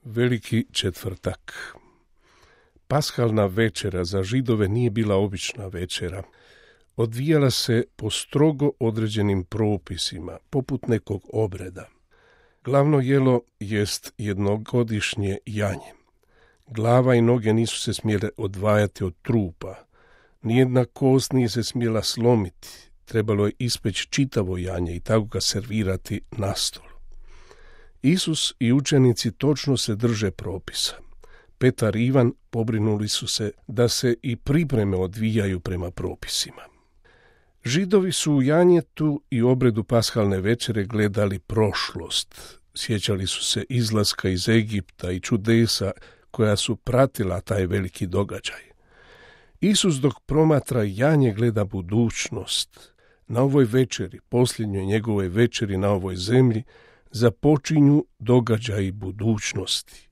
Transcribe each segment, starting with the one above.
Veliki četvrtak. Paskalna večera za Židove nije bila obična večera. Odvijala se po strogo određenim propisima, poput nekog obreda. Glavno jelo jest jednogodišnje janje. Glava i noge nisu se smjele odvajati od trupa. Nijedna kost nije se smjela slomiti. Trebalo je ispeći čitavo janje i tako ga servirati na stol. Isus i učenici točno se drže propisa. Petar i Ivan pobrinuli su se da se i pripreme odvijaju prema propisima. Židovi su u janjetu i obredu paskalne večere gledali prošlost. Sjećali su se izlaska iz Egipta i čudesa koja su pratila taj veliki događaj. Isus dok promatra janje gleda budućnost. Na ovoj večeri, posljednjoj njegovoj večeri na ovoj zemlji, započinju događaji budućnosti.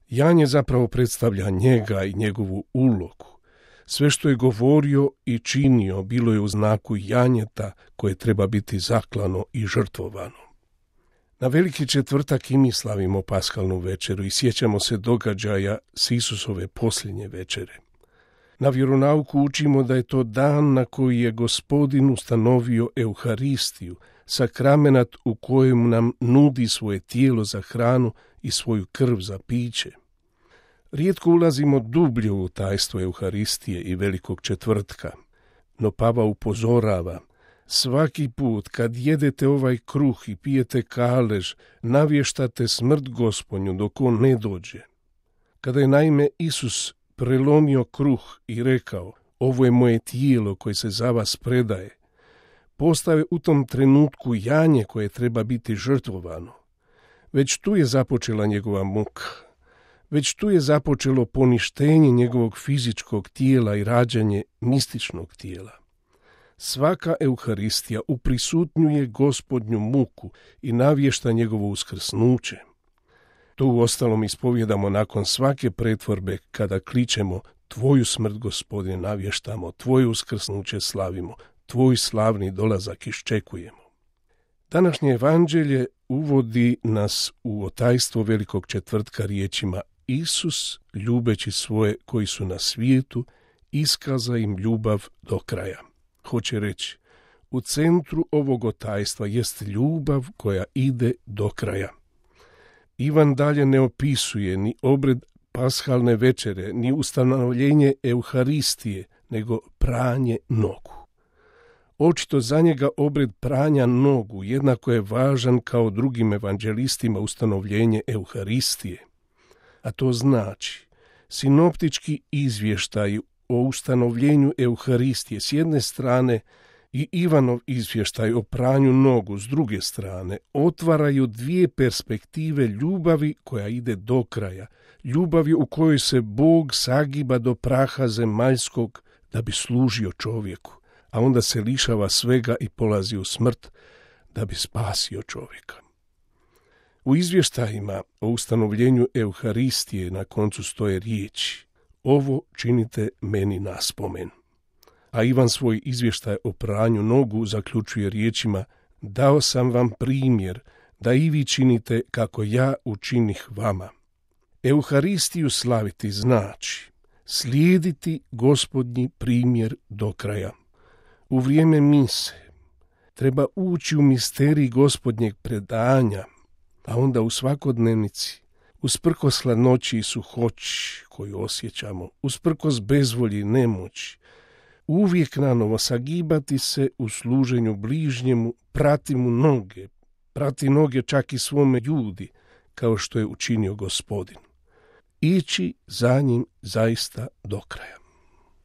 Janje zapravo predstavlja njega i njegovu ulogu. Sve što je govorio i činio bilo je u znaku janjeta koje treba biti zaklano i žrtvovano. Na veliki četvrtak i mi slavimo paskalnu večeru i sjećamo se događaja s Isusove posljednje večere. Na vjeronauku učimo da je to dan na koji je Gospodin ustanovio Euharistiju, sakramenat u kojem nam nudi svoje tijelo za hranu i svoju krv za piće. Rijetko ulazimo dublje u tajstvo Euharistije i velikog četvrtka, no Papa upozorava: svaki put kad jedete ovaj kruh i pijete kalež, navještate smrt Gospodnju dok on ne dođe. Kada je naime Isus prelomio kruh i rekao: ovo je moje tijelo koje se za vas predaje, postave u tom trenutku janje koje treba biti žrtvovano. Već tu je započela njegova muka. Već tu je započelo poništenje njegovog fizičkog tijela i rađanje mističnog tijela. Svaka Euharistija uprisutnjuje Gospodnju muku i navješta njegovo uskrsnuće. To uostalom ispovjedamo nakon svake pretvorbe kada kličemo: tvoju smrt, Gospodine, navještamo, tvoje uskrsnuće slavimo, tvoj slavni dolazak iščekujemo. Današnje evanđelje uvodi nas u otajstvo velikog četvrtka riječima: Isus, ljubeći svoje koji su na svijetu, iskaza im ljubav do kraja. Hoće reći, u centru ovog otajstva jest ljubav koja ide do kraja. Ivan dalje ne opisuje ni obred paskalne večere, ni ustanovljenje Euharistije, nego pranje nogu. Očito za njega obred pranja nogu jednako je važan kao drugim evanđelistima ustanovljenje Euharistije. A to znači, sinoptički izvještaj o ustanovljenju Euharistije s jedne strane i Ivanov izvještaj o pranju nogu s druge strane otvaraju dvije perspektive ljubavi koja ide do kraja, ljubavi u kojoj se Bog sagiba do praha zemaljskog da bi služio čovjeku, a onda se lišava svega i polazi u smrt da bi spasio čovjeka. U izvještajima o ustanovljenju Euharistije na koncu stoje riječi: ovo činite meni na spomen. A Ivan svoj izvještaj o pranju nogu zaključuje riječima: dao sam vam primjer da i vi činite kako ja učinih vama. Euharistiju slaviti znači slijediti Gospodnji primjer do kraja. U vrijeme mise treba ući u misterij Gospodnjeg predanja, a onda u svakodnevnici, usprkos hladnoći i suhoći koju osjećamo, usprkos bezvolji i nemoći, uvijek nanovo sagibati se u služenju bližnjemu, prati mu noge, prati noge čak i svome ljudi, kao što je učinio Gospodin. Ići za njim zaista do kraja.